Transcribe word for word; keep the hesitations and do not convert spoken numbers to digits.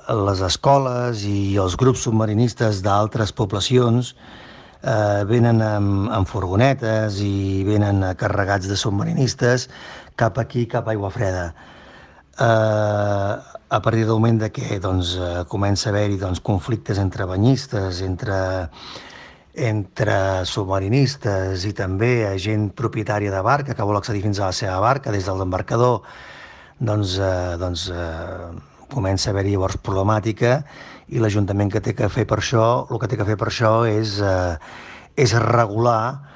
les escoles i els grups submarinistes d'altres poblacions eh, venen amb, amb furgonetes i venen carregats de submarinistes cap aquí, cap a Aigua Freda. Eh, a partir del moment de que doncs, eh, comença a haver-hi doncs, conflictes entre banyistes, entre, entre submarinistes i també gent propietària de barca que vol accedir fins a la seva barca des de l'embarcador, doncs, eh, doncs eh, comença a haver-hi llavors problemàtica i l'Ajuntament que té que fer per això, el que té que fer per això és, eh, és regular